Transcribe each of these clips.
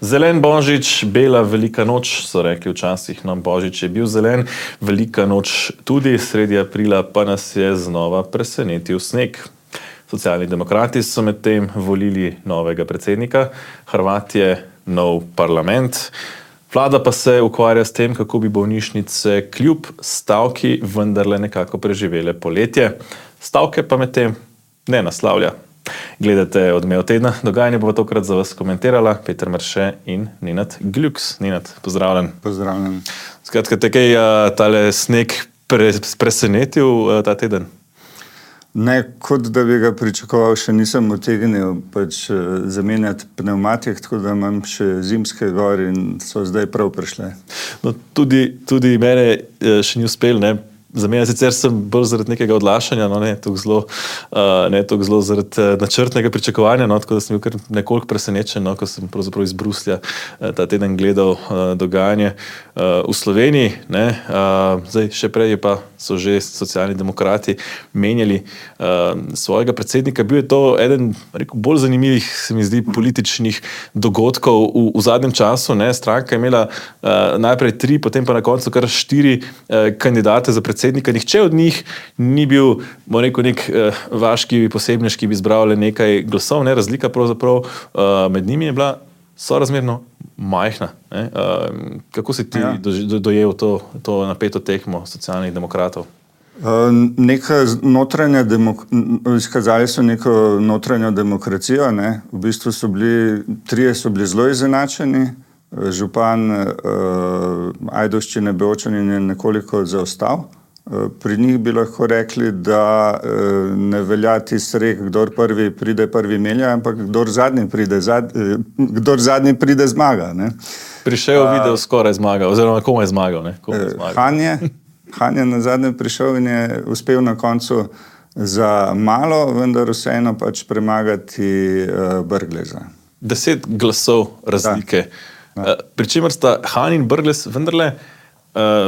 Zelen božič, bela velika noč, so rekli včasih, no, božič je bil zelen, velika noč tudi, sredi aprila pa nas je znova presenetil sneg. Socialni demokrati so medtem volili novega predsednika, Hrvat je nov parlament, vlada pa se ukvarja s tem, kako bi bolnišnice kljub stavki vendarle nekako preživele poletje. Stavke pa medtem ne naslavlja. Gledate Odmev tedna, dogajanje bo tokrat za vas komentirala Peter Marše in Nenad Gljuks. Nenad, pozdravljen. Pozdravljen. Skratka, te kaj tale sneg presenetil ta teden? Ne, kot da bi ga pričakoval, še nisem utegnil zamenjati pnevmatik, tako da imam še zimske gor in so zdaj prav prišle. No, tudi mene še ni uspel, ne? Za mene sicer sem bolj zaradi nekega odlašanja, no, ne toliko zelo zaradi načrtnega pričakovanja, no, tako da sem bil kar nekoliko presenečen, no, ko sem pravzaprav iz Bruslja ta teden gledal dogajanje v Sloveniji, ne. Zdaj, še prej so že socialni demokrati menjali svojega predsednika. Bil je to eden, rekel, bolj zanimivih, se mi zdi, političnih dogodkov v zadnjem času, ne. Stranka je imela najprej 3, potem pa na koncu kar 4 kandidate za predsednika. Nihče od njih ni bil, bom rekel, nek vaški posebnež, ki bi zbral le nekaj glasov, ne, razlika pravzaprav med njimi je bila sorazmerno majhna, ne. Kako si ti dojel to napeto tekmo socialnih demokratov? Izkazali so neko notranjo demokracijo, ne. V bistvu trije so bili zelo izenačeni. Župan Ajdovščine Bevčanin je nekoliko zaostal. Pri njih bi lahko rekli, da ne velja tisti rek, kdor prvi pride, prvi melja, ampak kdor zadnji pride zmaga, ne. Prišel video skoraj zmagal, oziroma komu je zmagal, ne? Han je na zadnje prišel in je uspel na koncu za malo, vendar vseeno premagati Brgleza. 10 glasov razlike. Pri čemer sta Han in Brglez vendarle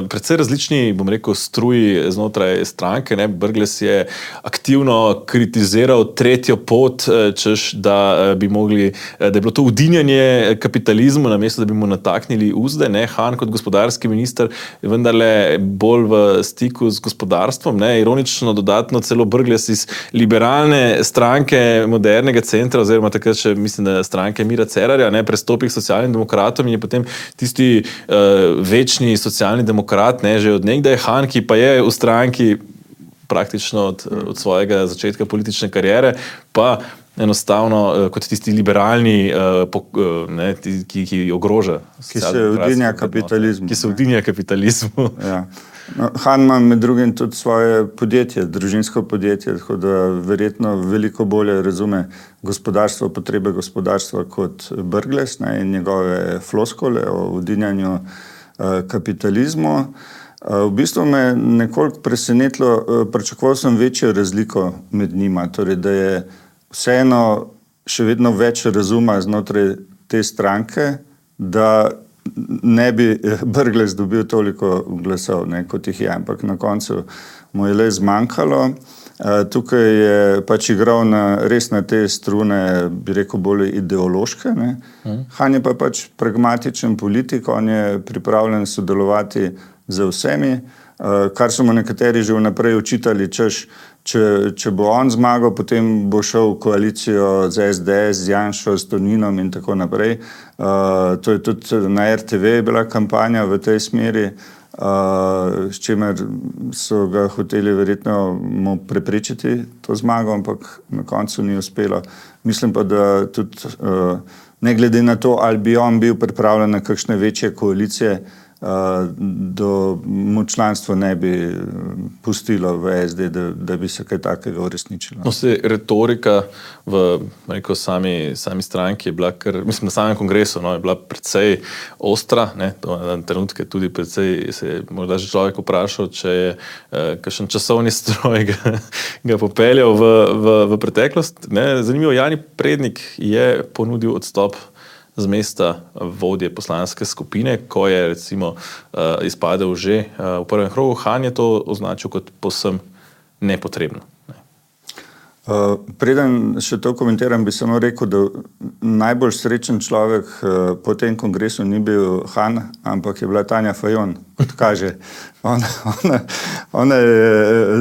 precej različni, bom rekel, struji znotraj stranke, ne. Brglez je aktivno kritiziral tretjo pot, češ, da je bilo to udinjanje kapitalizmu, namesto da bi mu nataknili uzde, ne. Han kot gospodarski minister je vendarle bolj v stiku z gospodarstvom, ne. Ironično dodatno celo Brglez iz liberalne stranke modernega centra, oziroma takrat še, mislim, da stranke Mira Cerarja, ne, prestopi k socialnim demokratom in je potem tisti večni socialni demokrat, ne, že od nekdaj Han, ki pa je v stranki praktično od svojega začetka politične kariere, pa enostavno kot tisti liberalni, ne, ki ogroža. Ki se udinja kapitalizmu. Ki se udinja kapitalizmu. Ja. No, Han ima med drugim tudi svoje podjetje, družinsko podjetje, tako da verjetno veliko bolje razume potrebe gospodarstva kot Brglez, ne, in njegove floskole o udinjanju kapitalizmu. V bistvu me nekoliko presenetilo, pričakoval sem večjo razliko med njima, torej da je vseeno še vedno več razuma znotraj te stranke, da ne bi Brglez dobil toliko glasov, ne, kot jih je, ampak na koncu mu je le zmanjkalo. Tukaj je igral res na te strune, bi rekel, bolj ideološke, ne. Han je pa pragmatičen politik, on je pripravljen sodelovati z vsemi, kar so mu nekateri že vnaprej očitali, češ, če bo on zmagal, potem bo šel v koalicijo z SDS, z Janšo, s Toninom in tako naprej. To je tudi na RTV bila kampanja v tej smeri, s čimer so ga hoteli verjetno mu preprečiti to zmago, ampak na koncu ni uspelo. Mislim pa, da tudi ne glede na to, ali bi on bil pripravljen na kakšne večje koalicije, mu članstvo ne bi pustilo v SD, da bi se kaj takega uresničilo. No, retorika v sami stranki je bila na samem kongresu, no, je bila precej ostra, ne, na trenutke tudi precej se je morda že človek vprašal, če je kakšen časovni stroj ga popeljal v preteklost, ne. Zanimivo, Jani Prednik je ponudil odstop z mesta vodje poslanske skupine, ko je recimo izpadel že v prvem krogu. Han je to označil kot povsem nepotrebno. Preden še to komentiram, bi samo rekel, da najbolj srečen človek po tem kongresu ni bil Han, ampak je bila Tanja Fajon, kot kaže. Ona je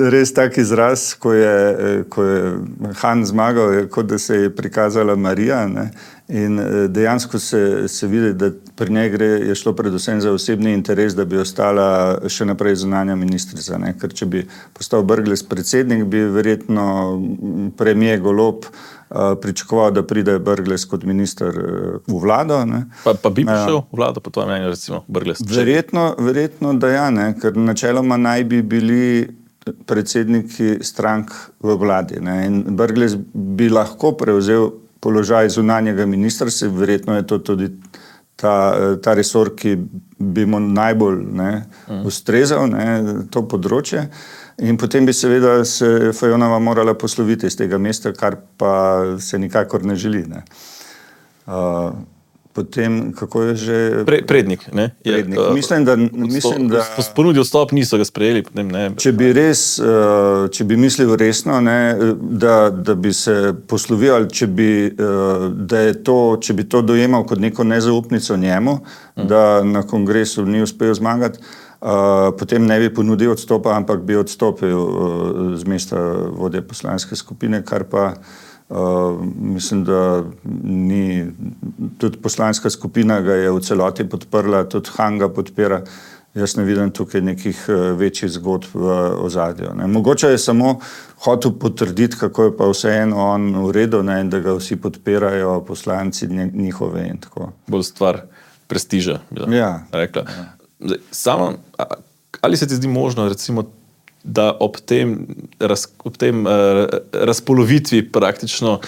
res tak izraz, ko je Han zmagal, kot da se je prikazala Marija, ne? In dejansko se vidi, da pri njej je šlo predvsem za osebni interes, da bi ostala še naprej zunanja ministrica, ne? Ker če bi postal Brglez predsednik, bi verjetno premier Golob pričakoval, da pride Brglez kot minister v vlado. Ne? Pa bi prišel v vlado, po tvojem mnenju, recimo Brglez? Verjetno da ja, ne? Ker načeloma naj bi bili predsedniki strank v vladi, ne? In Brglez bi lahko prevzel položaj zunanjega ministra, verjetno je to tudi ta resor, ki bi mu najbolj ustrezal, to področje. In potem bi seveda se Fajonova morala posloviti iz tega mesta, kar pa se nikakor ne želi. Ne. Potem, kako je že... Prednik, ne? Prednik. Mislim, da... Ponudil odstop, niso ga sprejeli. Potem, ne. Če bi mislil resno, ne, da bi se poslovil, ali če bi to dojemal kot neko nezaupnico njemu, da na kongresu ni uspel zmagati, potem ne bi ponudil odstopa, ampak bi odstopil z mesta vodje poslanske skupine, kar pa mislim, da ni, tudi poslanska skupina ga je v celoti podprla, tudi Han ga podpira. Jaz ne vidim tukaj nekih večjih zgodb v ozadju. Mogoče je samo hotel potrditi, kako je pa vseeno on v redu, ne, in da ga vsi podpirajo, poslanci njihove in tako. Bolj stvar prestiža, bi rekla. Zdaj, samo, ali se ti zdi možno, recimo, da ob tem razpolovitvi praktično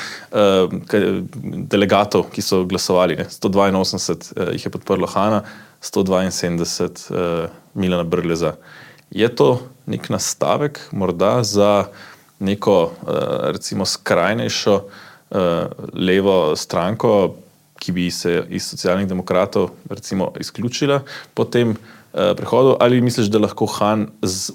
delegatov, ki so glasovali, 182 jih je podprlo Hana, 172 Milana Brgleza. Je to nek nastavek morda za neko recimo skrajnejšo levo stranko, ki bi se iz Socialnih demokratov recimo izključila po tem prehodu, ali misliš, da lahko Han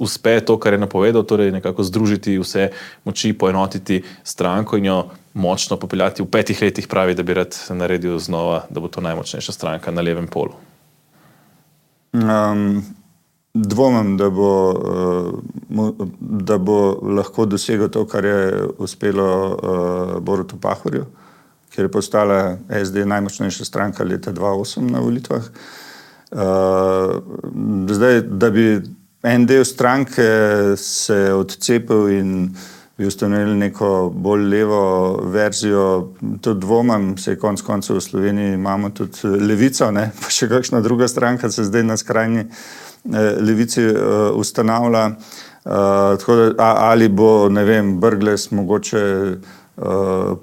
uspe to, kar je napovedal, torej nekako združiti vse moči, poenotiti stranko in jo močno popeljati v 5 letih, pravi, da bi rad naredil znova, da bo to najmočnejša stranka na levem polu? Dvomim, da bo lahko dosegel to, kar je uspelo Borutu Pahorju, ker je postala SD najmočnejša stranka leta 2008 na volitvah. Zdaj, da bi en del stranke se odcepil in bi ustanovili neko bolj levo verzijo, to dvomim, se konec koncev v Sloveniji imamo tudi Levico, ne? Pa še kakšna druga stranka se zdaj na skrajni levici ustanavlja. Tako da, ali bo, ne vem, Brglez mogoče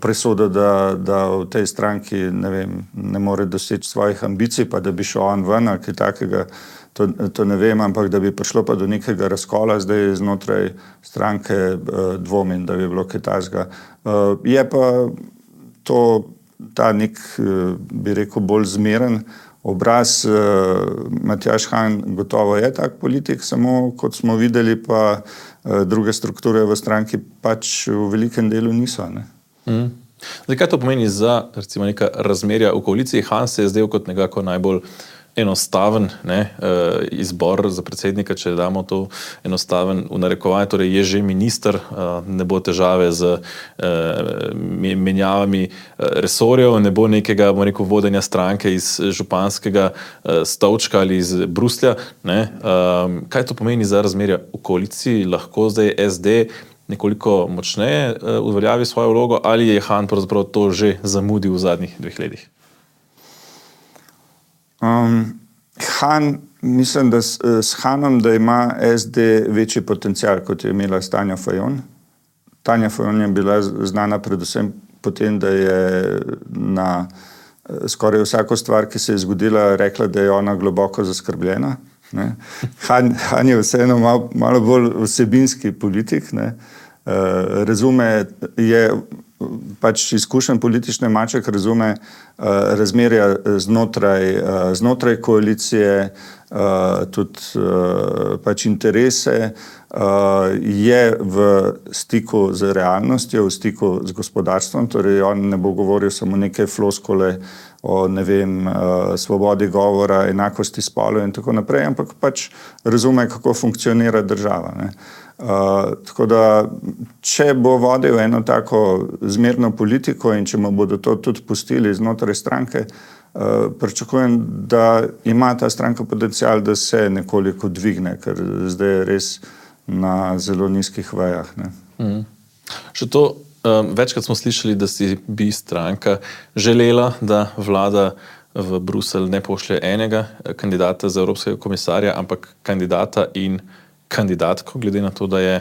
presoda, da v tej stranki ne more doseči svojih ambicij, pa da bi šel on ven, ali kaj takega, to ne vem, ampak da bi prišlo pa do nekega razkola zdaj znotraj stranke, dvomim, da bi bilo kaj takega. Je pa ta nek, bi rekel, bolj zmeren obraz. Matjaž Han gotovo je tak politik, samo kot smo videli, pa druge strukture v stranki pač v velikem delu niso. Ne? Zdaj, kaj to pomeni za recimo neka razmerja v koaliciji? Han se je zdel kot nekako najbolj enostaven izbor za predsednika, če damo to enostaven v narekovanje, torej je že minister, ne bo težave z menjavami resorjev, ne bo nekega, bomo rekel, vodenja stranke iz županskega stolčka ali iz Bruslja. Kaj to pomeni za razmerja v koaliciji? Lahko zdaj SD nekoliko močneje uveljavi svojo vlogo, ali je Han pravzaprav to že zamudil v zadnjih 2 letih? Han, mislim, da s Hanom, da ima SD večji potencial, kot je imela Tanja Fajon. Tanja Fajon je bila znana predvsem potem, da je na skoraj vsako stvar, ki se je zgodila, rekla, da je ona globoko zaskrbljena. Ne? Han je vseeno malo bolj vsebinski politik, ne? Razume, je pač izkušen politični maček, razume razmerja znotraj koalicije, tudi pač interese, je v stiku z realnostjo, v stiku z gospodarstvom, torej on ne bo govoril samo neke floskole o, ne vem, svobodi govora, enakosti spolov in tako naprej, ampak pač razume, kako funkcionira država, ne. Tako da, če bo vodil eno tako zmerno politiko in če mu bodo to tudi pustili znotraj stranke, pričakujem, da ima ta stranka potencial, da se nekoliko dvigne, ker zdaj je res na zelo nizkih vejah, ne. Še to, večkrat smo slišali, da si bi stranka želela, da vlada v Bruselj ne pošlje enega kandidata za evropskega komisarja, ampak kandidata in kandidatko, glede na to, da je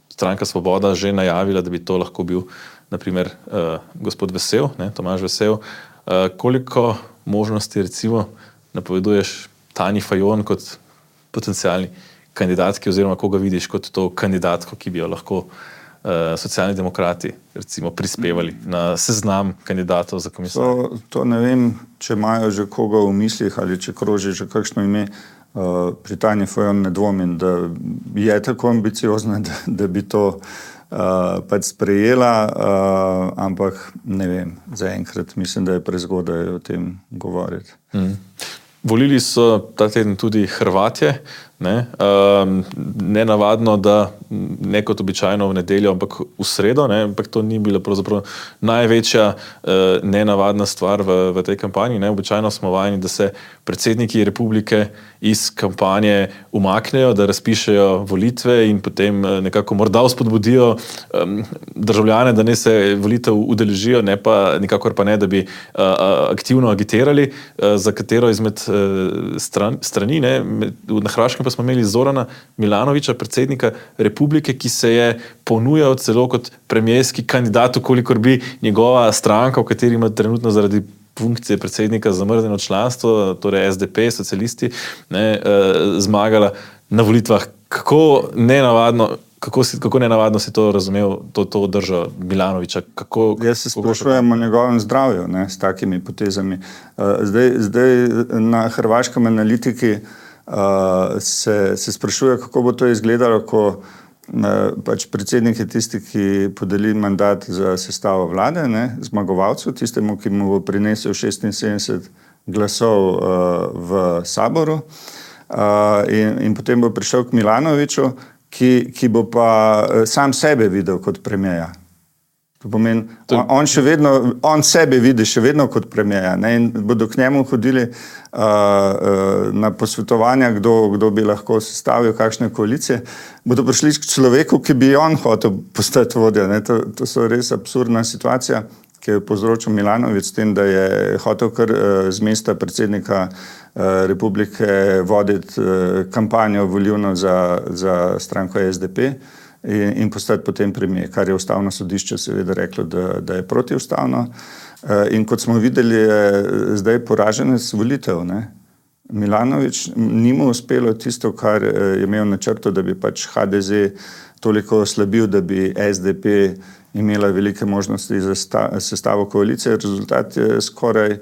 stranka Svoboda že najavila, da bi to lahko bil naprimer gospod Vesel, ne, Tomaž Vesel. Koliko možnosti recimo napoveduješ Tanji Fajon kot potencialni kandidatki oziroma koga vidiš kot to kandidatko, ki bi jo lahko Socialni demokrati recimo prispevali na seznam kandidatov za komisarja? To ne vem, če imajo že koga v mislih ali če kroži že kakšno ime. Pri Tanji Fajon ne dvomim, da je tako ambiciozna, da bi to pač sprejela, ampak ne vem, zaenkrat mislim, da je prezgodaj o tem govoriti. Volili so ta teden tudi Hrvatje, ne? Nenavadno, da ne kot običajno v nedeljo, ampak v sredo, ne? Ampak to ni bila pravzaprav največja nenavadna stvar v tej kampanji, ne? Običajno smo vajeni, da se predsedniki republike iz kampanje umaknejo, da razpišejo volitve in potem nekako morda vzpodbudijo državljane, da ne se volitev udeležijo, nikakor pa ne, da bi aktivno agitirali za katero izmed strani, ne? Na Hrvaškem pa smo imeli Zorana Milanovića, predsednika republike, ki se je ponujal celo kot premijerski kandidat, kolikor bi njegova stranka, v kateri ima trenutno zaradi funkcije predsednika zamrznjeno članstvo, torej SDP, socialisti, ne, zmagala na volitvah. Kako nenavadno si to razumel, to držo Milanovića? Jaz se sprašujem o njegovem zdravju, ne, s takimi potezami. Zdaj na hrvaškem analitiki se sprašuje, kako bo to izgledalo, ko pač predsednik je tisti, ki podeli mandat za sestavo vlade, ne, zmagovalcu, tistemu, ki mu bo prinesel 76 glasov v saboru, in potem bo prišel k Milanoviću, ki bo pa sam sebe videl kot premierja. To pomeni, on sebe vidi še vedno kot premierja, ne, in bodo k njemu hodili na posvetovanja, kdo bi lahko sestavil kakšne koalicije, bodo prišli k človeku, ki bi on hotel postati vodja, ne. To so res absurdna situacija, ki je povzročil Milanović s tem, da je hotel kar z mesta predsednika republike voditi kampanjo volilno za stranko SDP in postati potem premier, kar je ustavno sodišče seveda reklo, da je protiustavno. In kot smo videli, je zdaj poraženec volitev, ne. Milanović ni mu uspelo tisto, kar je imel načrto, da bi pač HDZ toliko oslabil, da bi SDP imela velike možnosti za sestavo koalicije. Rezultat je skoraj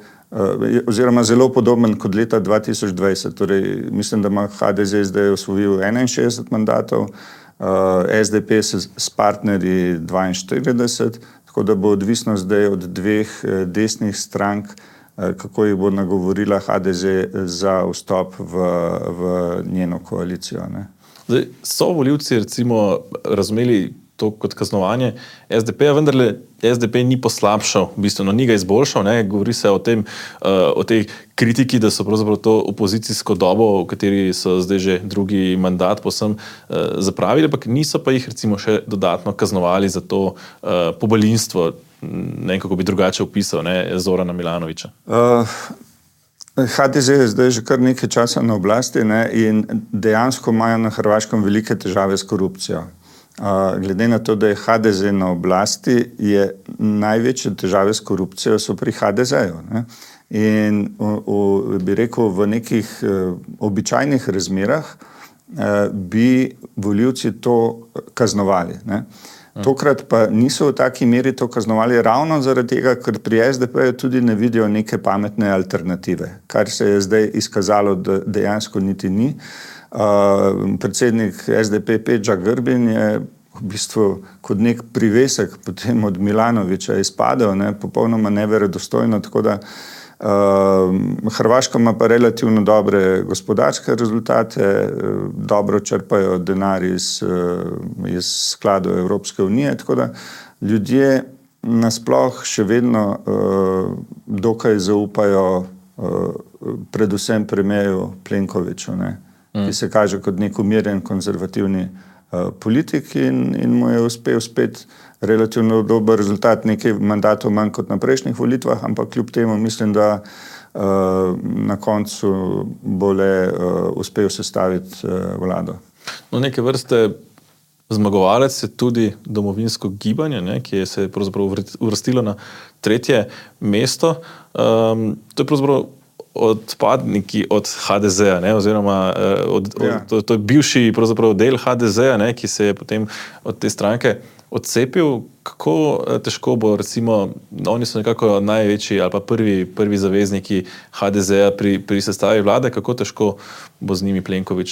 oziroma zelo podoben kot leta 2020. Torej, mislim, da ima HDZ zdaj osvojil 61 mandatov, SDP s partnerji 42, tako da bo odvisno zdaj od dveh desnih strank, kako jih bo nagovorila HDZ za vstop v njeno koalicijo, ne. Zdaj, so volivci recimo razumeli to kot kaznovanje SDP-ja, vendarle SDP ni poslabšal, bistveno ni ga izboljšal, ne. Govori se o tem, o tej kritiki, da so pravzaprav to opozicijsko dobo, v kateri so zdaj že drugi mandat povsem zapravili, ampak niso pa jih recimo še dodatno kaznovali za to pobalinstvo, ne vem, kako bi drugače opisal, ne, Zorana Milanovića. HDZ je zdaj že kar nekaj časa na oblasti, ne, in dejansko imajo na Hrvaškem velike težave s korupcijo. Glede na to, da je HDZ na oblasti, je največje težave s korupcijo so pri HDZ-ju, ne. In bi rekel, v nekih običajnih razmerah bi volivci to kaznovali, ne. Tokrat pa niso v taki meri to kaznovali ravno zaradi tega, ker pri SDP tudi ne vidijo neke pametne alternative, kar se je zdaj izkazalo, da dejansko niti ni. Predsednik SDP Peđa Grbin je v bistvu kot nek privesek potem od Milanovića izpadel, popolnoma neverodostojno, tako da Hrvaška ima pa relativno dobre gospodarske rezultate, dobro črpajo denar iz skladov Evropske unije, tako da ljudje nasploh še vedno dokaj zaupajo predvsem premierju Plenkoviću, ki se kaže kot nek umirjen konzervativni politik in mu je uspel spet relativno dober rezultat, nekaj mandatov manj kot na prejšnjih volitvah, ampak kljub temu mislim, da na koncu bo le uspel sestaviti vlado. No, neke vrste zmagovalec je tudi domovinsko gibanje, ki se je pravzaprav uvrstilo na 3. mesto. To je pravzaprav odpadniki od HDZ-a, oziroma to je bivši pravzaprav del HDZ-a, ki se je potem od te stranke odcepil. Kako težko bo, recimo, oni so nekako največji ali pa prvi zavezniki HDZ-a pri sestavi vlade, kako težko bo z njimi Plenković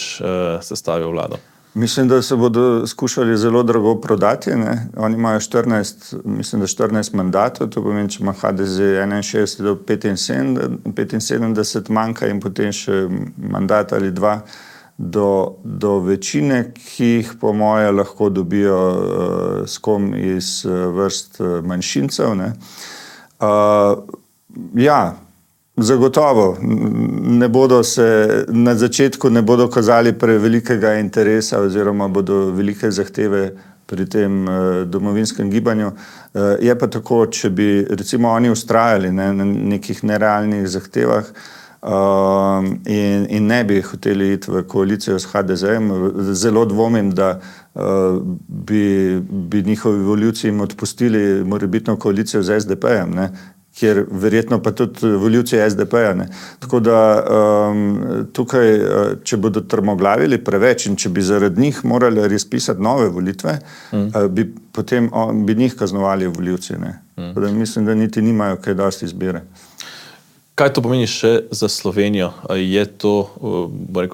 sestavil vlado? Mislim, da se bodo skušali zelo drago prodati. Oni imajo 14 mandatov, to pomeni, če ima HDZ 61 do 75 manjka in potem še mandat ali dva do večine, ki jih po moje lahko dobijo s kom iz vrst manjšincev. Zagotovo ne bodo se na začetku kazali prevelikega interesa oziroma bodo velike zahteve pri tem domovinskem gibanju. Je pa tako, če bi recimo oni vztrajali na nekih nerealnih zahtevah in ne bi hoteli iti v koalicijo s HDZ-em, zelo dvomim, da bi njihovi volivci jim odpustili morebitno koalicijo z SDP-jem, kjer verjetno pa tudi volivci SDP-ja. Tako da tukaj, če bodo trmoglavili preveč in če bi zaradi njih morali razpisati nove volitve, bi njih kaznovali volivci. Tako da mislim, da niti nimajo kaj dosti izbire. Kaj to pomeni še za Slovenijo? Je to,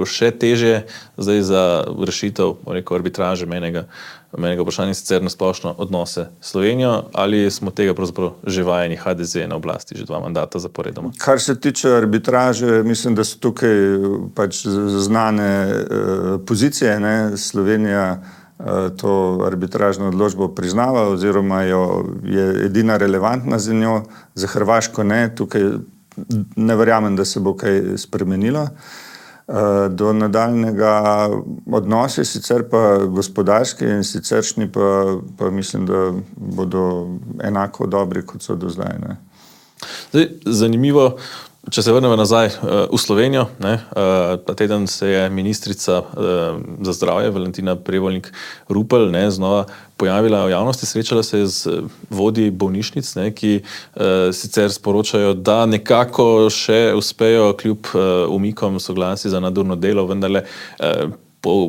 še težje zdaj za rešitev, arbitraže menega vprašanja, sicer na splošno odnose s Slovenijo, ali smo tega pravzaprav že vajeni HDZ na oblasti že 2 mandata zaporedoma? Kar se tiče arbitraže, mislim, da so tukaj pač znane pozicije. Slovenija to arbitražno odločbo priznava oziroma je edina relevantna za njo, za Hrvaško ne. Tukaj ne verjamem, da se bo kaj spremenilo. Do nadaljnega odnose, sicer pa gospodarski in siceršnji pa mislim, da bodo enako dobri, kot so do zdaj. Zdaj, zanimivo, če se vrnemo nazaj v Slovenijo, ta teden se je ministrica za zdravje Valentina Prevolnik Rupel znova pojavila v javnosti, srečala se je z vodji bolnišnic, ki sicer sporočajo, da nekako še uspejo kljub umikom soglasij za nadurno delo, vendarle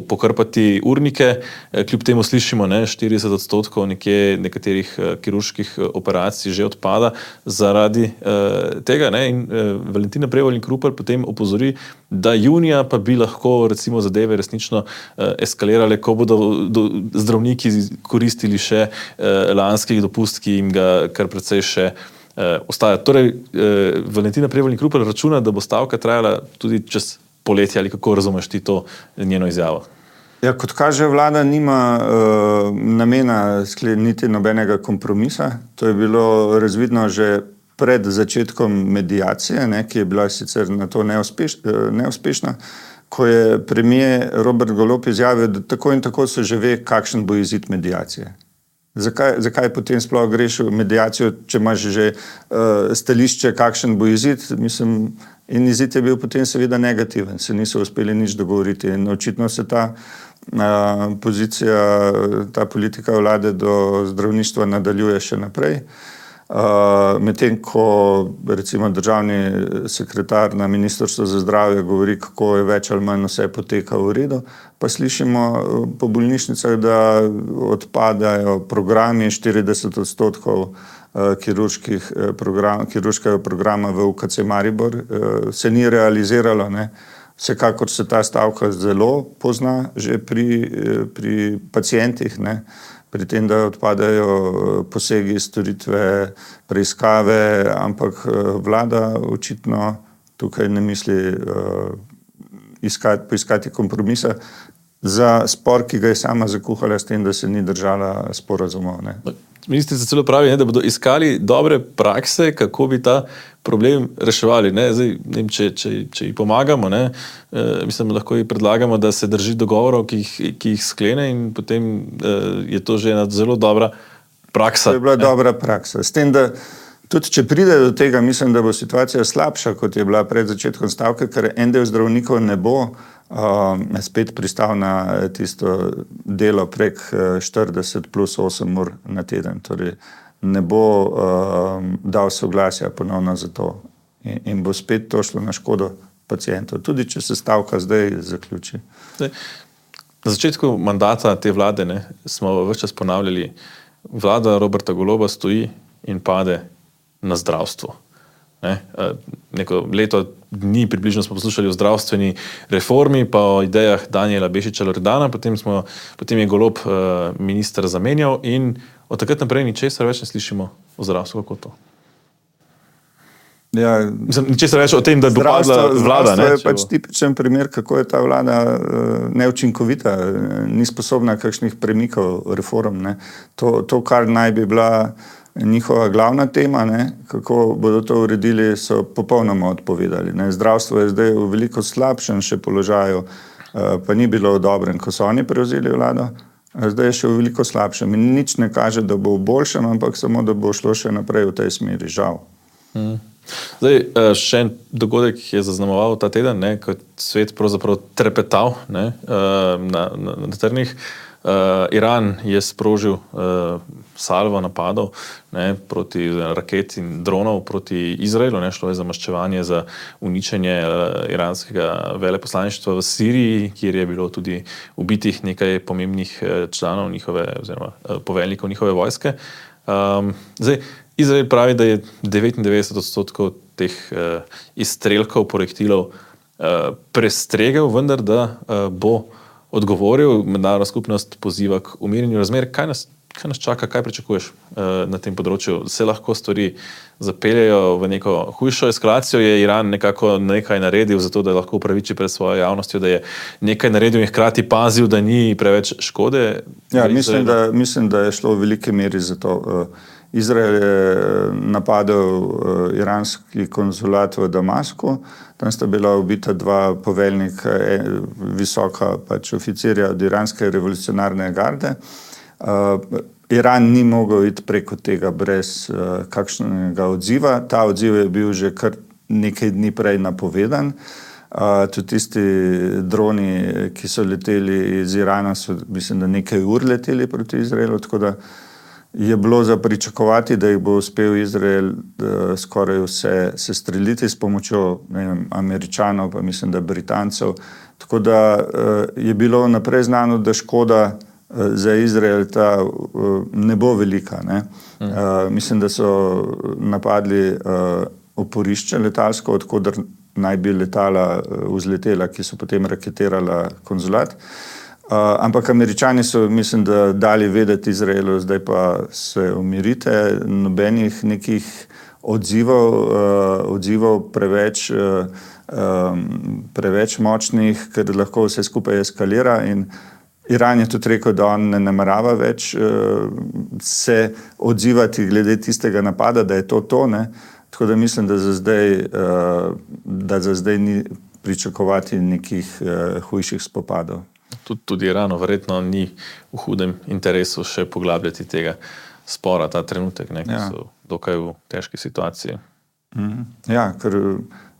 pokrpati urnike. Kljub temu slišimo, 40% nekaterih kirurških operacij že odpada zaradi tega. In Valentina Prevolnik Rupel potem opozori, da junija pa bi lahko recimo zadeve resnično eskalirale, ko bodo zdravniki koristili še lanskih dopust, ki jim ga kar precej še ostaja. Torej, Valentina Prevolnik Rupel računa, da bo stavka trajala tudi čez poletje, ali kako razumeš ti to njeno izjavo? Ja, kot kaže, vlada nima namena skleniti nobenega kompromisa. To je bilo razvidno že pred začetkom mediacije, ki je bila sicer na to neuspešna, ko je premier Robert Golob izjavil, da tako in tako se že ve, kakšen bo izid mediacije. Zakaj potem sploh greš v mediacijo, če imaš že stališče, kakšen bo izid? Mislim, in izid je bil potem seveda negativen, se niso uspeli nič dogovoriti in očitno se ta pozicija, ta politika vlade do zdravništva nadaljuje še naprej. Medtem ko recimo državni sekretar na Ministrstvu za zdravje govori, kako je več ali manj vse poteka v redu, pa slišimo po bolnišnicah, da odpadajo programi, 40% kirurškega programa v UKC Maribor se ni realiziralo, ne. Vsekakor se ta stavka zelo pozna že pri pacientih, ne. Pri tem, da odpadajo posegi, storitve, preiskave, ampak vlada očitno tukaj ne misli poiskati kompromisa za spor, ki ga je sama zakuhala s tem, da se ni držala sporazumov, ne. Ministrica celo pravi, ne, da bodo iskali dobre prakse, kako bi ta problem reševali. Ne? Zdaj, ne vem, če ji pomagamo, ne? Mislim, lahko ji predlagamo, da se drži dogovorov, ki jih sklene, in potem je to že ena zelo dobra praksa. To je bila dobra praksa. S tem, da tudi če pride do tega, mislim, da bo situacija slabša, kot je bila pred začetkom stavke, ker en del zdravnikov ne bo spet pristal na tisto delo prek 40 plus 8 ur na teden. Torej ne bo dal soglasja ponovno za to in bo spet to šlo na škodo pacientov, tudi če se stavka zdaj zaključi. Na začetku mandata te vlade, ne, smo ves čas ponavljali, vlada Roberta Goloba stoji in pade na zdravstvo. Ne? Neko leto dni približno smo poslušali o zdravstveni reformi, pa o idejah Danijela Bešiča Loredana, potem je Golob minister zamenjal in od takrat naprej ničesar več ne slišimo o zdravstvu, kako to. Ja, ničesar več o tem, da bo padla vlada. Zdravstvo je pač tipičen primer, kako je ta vlada neučinkovita, ni sposobna kakšnih premikov reform. Ne. To, kar naj bi bila njihova glavna tema, ne, kako bodo to uredili, so popolnoma odpovedali. Ne. Zdravstvo je zdaj v veliko slabšem še položaju, pa ni bilo v dobrem, ko so oni prevzeli vlado, zdaj je še v veliko slabšem in nič ne kaže, da bo v boljšem, ampak samo, da bo šlo še naprej v tej smeri, žal. Zdaj, še en dogodek je zaznamoval ta teden, ne, ko svet pravzaprav trepetal, ne, na trnih. Iran je sprožil salvo napadov, ne, proti raket in dronov proti Izraelu, ne, šlo je za maščevanje, za uničenje iranskega veleposlaništva v Siriji, kjer je bilo tudi ubitih nekaj pomembnih članov njihove, oziroma poveljnikov njihove vojske. Zdaj, Izrael pravi, da je 99% teh izstrelkov, projektilov prestregel, vendar da bo odgovoril, mednarodna skupnost poziva k umirjanju razmer. Kaj nas čaka, kaj pričakuješ na tem področju? Se lahko stvari zapeljejo v neko hujšo eskalacijo? Je Iran nekako nekaj naredil za to, da lahko upraviči pred svojo javnostjo, da je nekaj naredil in hkrati pazil, da ni preveč škode? Ja, mislim, da je šlo v veliki meri za to. Izrael je napadel iranski konzulat v Damasku, tam sta bila ubita dva poveljnika, visoka pač oficirja od iranske revolucionarne garde. Iran ni mogel iti preko tega brez kakšnega odziva. Ta odziv je bil že kar nekaj dni prej napovedan. Tudi tisti droni, ki so leteli iz Irana, so mislim, da nekaj ur leteli proti Izraelu, tako da je bilo za pričakovati, da jih bo uspel Izrael skoraj vse sestreliti s pomočjo, ne vem, Američanov, pa mislim, da Britancev. Tako da je bilo naprej znano, da škoda za Izrael ta ne bo velika. Ne. Mislim, da so napadli oporišče letalsko, odkoder naj bi letala vzletela, ki so potem raketirala konzulat. Ampak Američani so, mislim, da dali vedeti Izraelu, zdaj pa se umirite, nobenih nekih odzivov preveč močnih, ker lahko vse skupaj eskalira, in Iran je tudi rekel, da on ne namerava več se odzivati glede tistega napada, da je to, ne. Tako da mislim, da za zdaj ni pričakovati nekih hujših spopadov. Tudi Iranu verjetno ni v hudem interesu še poglabljati tega spora ta trenutek, ne, ki so dokaj v težki situaciji. Ja, ker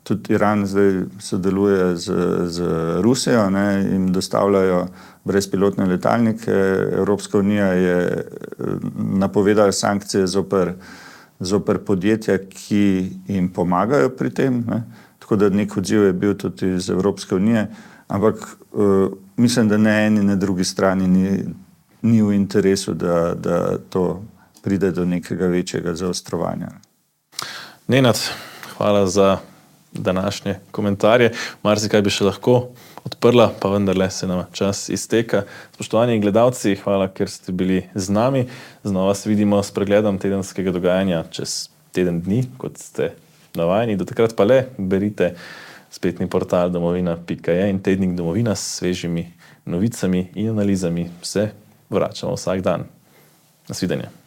tudi Iran zdaj sodeluje z Rusijo, ne, jim dostavljajo brezpilotne letalnike. Evropska unija je napovedala sankcije zoper zoper podjetja, ki jim pomagajo pri tem, ne. Tako da nek odziv je bil tudi iz Evropske unije, ampak mislim, da ne eni, ne drugi strani ni v interesu, da to pride do nekega večjega zaostrovanja. Nenad, hvala za današnje komentarje. Marsikaj bi še lahko odprla, pa vendarle se nam čas izteka. Spoštovani gledalci, hvala, ker ste bili z nami. Znova se vidimo s pregledom tedenskega dogajanja čez teden dni, kot ste navajeni. Do takrat pa le berite spletni portal domovina.je in tednik Domovina s svežimi novicami in analizami. Se vračamo vsak dan. Nasvidenje.